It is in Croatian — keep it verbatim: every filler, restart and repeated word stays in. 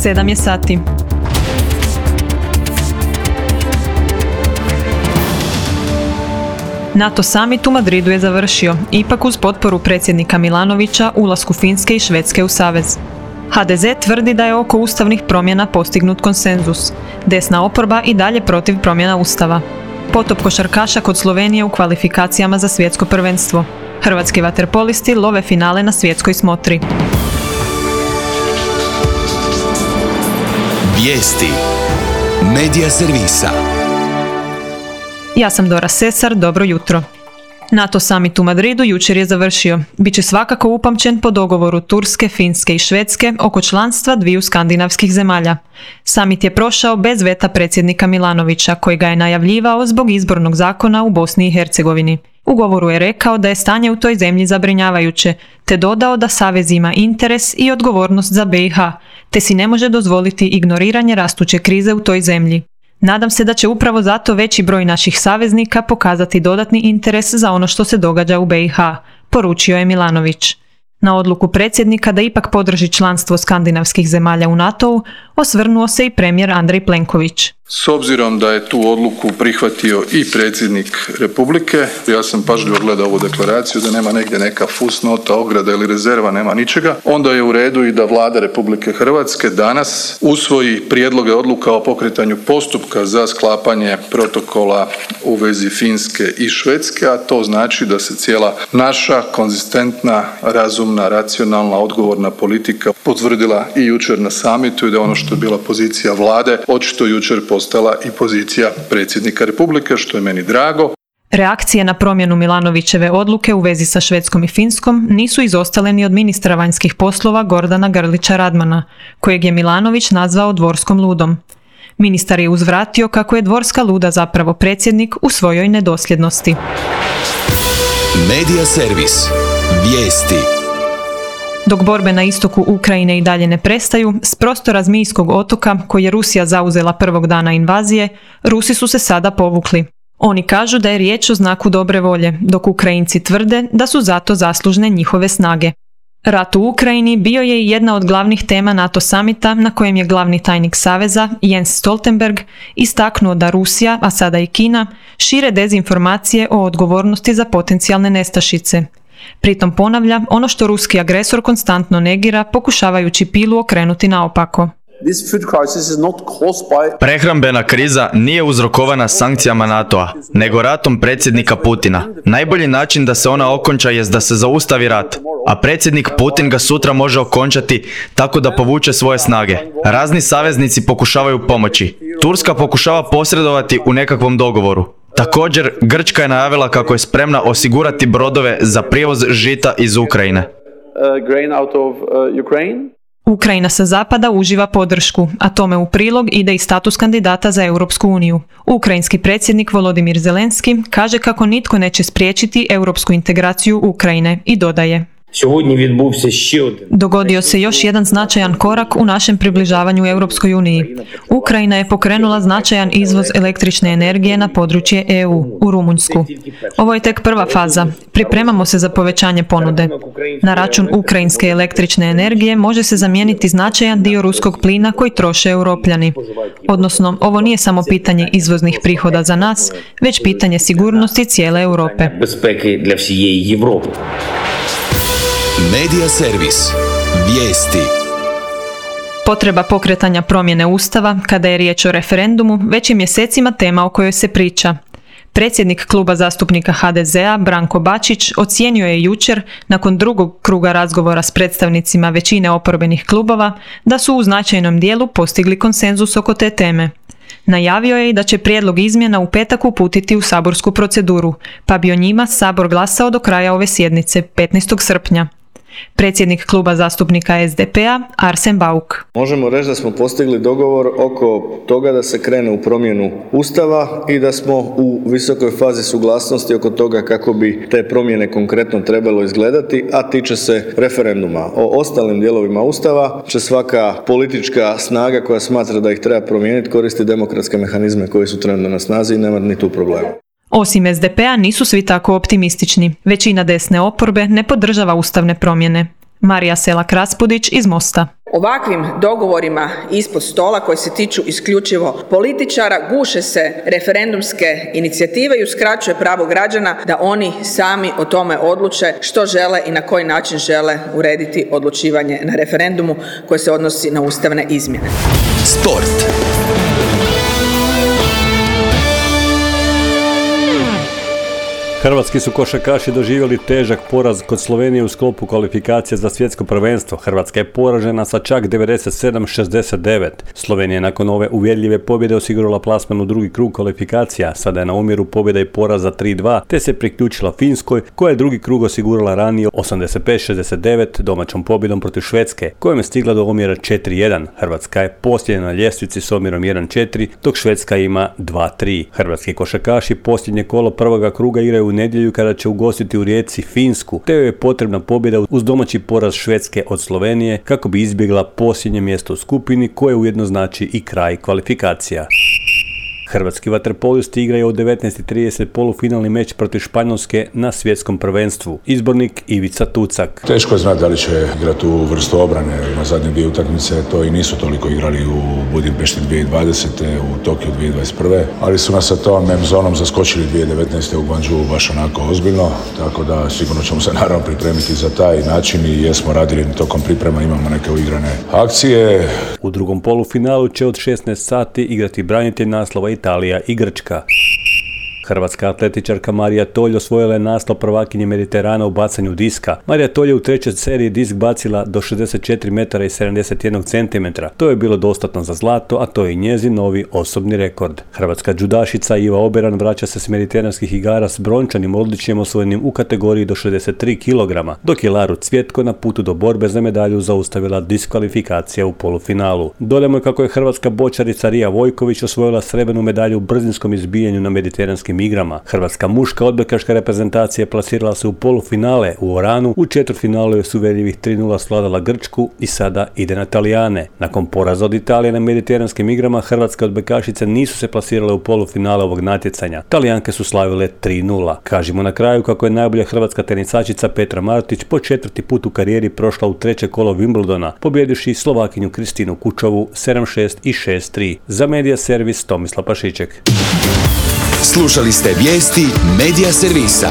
sedam je sati. NATO summit u Madridu je završio, ipak uz potporu predsjednika Milanovića ulasku Finske i Švedske u savez. ha de ze tvrdi da je oko ustavnih promjena postignut konsenzus. Desna oporba i dalje protiv promjena ustava. Potop košarkaša kod Slovenije u kvalifikacijama za svjetsko prvenstvo. Hrvatski vaterpolisti love finale na svjetskoj smotri. Vijesti Medija servisa. Ja sam Dora Sesar, dobro jutro. NATO summit u Madridu jučer je završio. Biće svakako upamćen po dogovoru Turske, Finske i Švedske oko članstva dviju skandinavskih zemalja. Summit je prošao bez veta predsjednika Milanovića, koji ga je najavljivao zbog izbornog zakona u Bosni i Hercegovini. U govoru je rekao da je stanje u toj zemlji zabrinjavajuće, te dodao da savez ima interes i odgovornost za be i ha, te si ne može dozvoliti ignoriranje rastuće krize u toj zemlji. Nadam se da će upravo zato veći broj naših saveznika pokazati dodatni interes za ono što se događa u be i ha, poručio je Milanović. Na odluku predsjednika da ipak podrži članstvo skandinavskih zemalja u NATO-u osvrnuo se i premijer Andrej Plenković. S obzirom da je tu odluku prihvatio i predsjednik Republike, ja sam pažljivo gledao ovu deklaraciju da nema negdje neka fusnota, ograda ili rezerva, nema ničega, onda je u redu i da Vlada Republike Hrvatske danas usvoji prijedloge odluka o pokretanju postupka za sklapanje protokola u vezi Finske i Švedske, a to znači da se cijela naša konzistentna, razumna, racionalna, odgovorna politika potvrdila i jučer na samitu i da ono što je bila pozicija Vlade, očito jučer postala i pozicija predsjednika Republike, što je meni drago. Reakcije na promjenu Milanovićeve odluke u vezi sa Švedskom i Finskom nisu izostale ni od ministra vanjskih poslova Gordana Grlića Radmana, kojeg je Milanović nazvao dvorskom ludom. Ministar je uzvratio kako je dvorska luda zapravo predsjednik u svojoj nedosljednosti. Medija servis. Vijesti. Dok borbe na istoku Ukrajine i dalje ne prestaju, s prostora Zmijskog otoka, koji je Rusija zauzela prvog dana invazije, Rusi su se sada povukli. Oni kažu da je riječ o znaku dobre volje, dok Ukrajinci tvrde da su zato zaslužne njihove snage. Rat u Ukrajini bio je i jedna od glavnih tema NATO samita na kojem je glavni tajnik Saveza, Jens Stoltenberg, istaknuo da Rusija, a sada i Kina, šire dezinformacije o odgovornosti za potencijalne nestašice. Pritom ponavlja ono što ruski agresor konstantno negira, pokušavajući pilu okrenuti naopako. Prehrambena kriza nije uzrokovana sankcijama NATO-a, nego ratom predsjednika Putina. Najbolji način da se ona okonča jest da se zaustavi rat, a predsjednik Putin ga sutra može okončati tako da povuče svoje snage. Razni saveznici pokušavaju pomoći. Turska pokušava posredovati u nekakvom dogovoru. Također, Grčka je najavila kako je spremna osigurati brodove za prijevoz žita iz Ukrajine. Ukrajina sa zapada uživa podršku, a tome u prilog ide i status kandidata za Europsku uniju. Ukrajinski predsjednik Volodimir Zelenski kaže kako nitko neće spriječiti europsku integraciju Ukrajine i dodaje: Dogodio se još jedan značajan korak u našem približavanju Europskoj uniji. Ukrajina je pokrenula značajan izvoz električne energije na područje e u, u Rumunjsku. Ovo je tek prva faza. Pripremamo se za povećanje ponude. Na račun ukrajinske električne energije može se zamijeniti značajan dio ruskog plina koji troše Europljani. Odnosno, ovo nije samo pitanje izvoznih prihoda za nas, već pitanje sigurnosti cijele Europe. Medija servis. Vijesti. Potreba pokretanja promjene Ustava, kada je riječ o referendumu, već je mjesecima tema o kojoj se priča. Predsjednik kluba zastupnika ha de zea, Branko Bačić, ocijenio je jučer, nakon drugog kruga razgovora s predstavnicima većine oporbenih klubova, da su u značajnom dijelu postigli konsenzus oko te teme. Najavio je i da će prijedlog izmjena u petak uputiti u saborsku proceduru, pa bi o njima Sabor glasao do kraja ove sjednice, petnaestog srpnja. Predsjednik kluba zastupnika es de pe a, Arsen Bauk. Možemo reći da smo postigli dogovor oko toga da se krene u promjenu Ustava i da smo u visokoj fazi suglasnosti oko toga kako bi te promjene konkretno trebalo izgledati, a tiče se referenduma. O ostalim dijelovima Ustava će svaka politička snaga koja smatra da ih treba promijeniti koristiti demokratske mehanizme koji su trenutno na snazi i nema ni tu problema. Osim es de pe a nisu svi tako optimistični. Većina desne oporbe ne podržava ustavne promjene. Marija Selak Raspudić iz Mosta. Ovakvim dogovorima ispod stola koji se tiču isključivo političara guše se referendumske inicijative i uskraćuje pravo građana da oni sami o tome odluče što žele i na koji način žele urediti odlučivanje na referendumu koje se odnosi na ustavne izmjene. Sport. Hrvatski su košarkaši doživjeli težak poraz kod Slovenije u sklopu kvalifikacije za svjetsko prvenstvo. Hrvatska je poražena sa čak devedeset sedam šezdeset devet. Slovenija je nakon ove uvjerljive pobjede osigurala plasman u drugi krug kvalifikacija. Sada je na omjeru pobjeda i poraza tri dva, te se priključila Finskoj, koja je drugi krug osigurala ranije osamdeset pet šezdeset devet domaćom pobjedom protiv Švedske, kojom je stigla do omjera četiri jedan. Hrvatska je posljednja na ljestvici s omjerom jedan četiri, dok Švedska ima dva tri. Hrvatski košarkaši posljednje kolo prvoga kruga igraju u nedjelju kada će ugostiti u Rijeci Finsku, te joj je potrebna pobjeda uz domaći poraz Švedske od Slovenije kako bi izbjegla posljednje mjesto u skupini, koje ujedno znači i kraj kvalifikacija. Hrvatski vaterpolisti igraju u devetnaest i trideset polufinalni meč protiv Španjolske na svjetskom prvenstvu. Izbornik Ivica Tucak. Teško je znati da li će igrati u vrstu obrane. Na zadnje dvije utakmice to i nisu toliko igrali u Budimpešti dvije tisuće dvadesete, u Tokiju dvije tisuće dvadeset prve. Ali su nas sa tom M-zonom zaskočili dvije tisuće devetnaeste u Guangzhou baš onako ozbiljno. Tako da sigurno ćemo se naravno pripremiti za taj način i jesmo radili tokom priprema, imamo neke uigrane akcije. U drugom polufinalu će od šesnaest sati igrati branitelj naslova Italija i Grčka. Hrvatska atletičarka Marija Tolj osvojila je naslov prvakinje Mediterana u bacanju diska. Marija Tolj je u trećoj seriji disk bacila do šezdeset četiri metara i sedamdeset jedan centimetra. To je bilo dostatno za zlato, a to je i njezin novi osobni rekord. Hrvatska džudašica Iva Oberan vraća se s mediteranskih igara s brončanim odličjem osvojenim u kategoriji do šezdeset tri kilograma, dok je Laru Cvjetko na putu do borbe za medalju zaustavila diskvalifikacija u polufinalu. Dodajmo kako je hrvatska bočarica Rija Vojković osvojila srebrnu medalju u brzinskom izbijanju na mediteranskim igrama. Hrvatska muška odbojkaška reprezentacija plasirala se u polufinale u Oranu, u četvrtfinalu je s uvjerljivih tri nula svladala Grčku i sada ide na Talijane. Nakon poraza od Italije na mediteranskim igrama, hrvatske odbojkašice nisu se plasirale u polufinale ovog natjecanja. Talijanke su slavile tri nula. Kažimo na kraju kako je najbolja hrvatska tenisačica Petra Martić po četvrti put u karijeri prošla u treće kolo Wimbledona, pobjedivši Slovakinju Kristinu Kučovu sedam šest i šest tri. Za Medija servis Tomislav Pašiček. Slušali ste vijesti Medija servisa.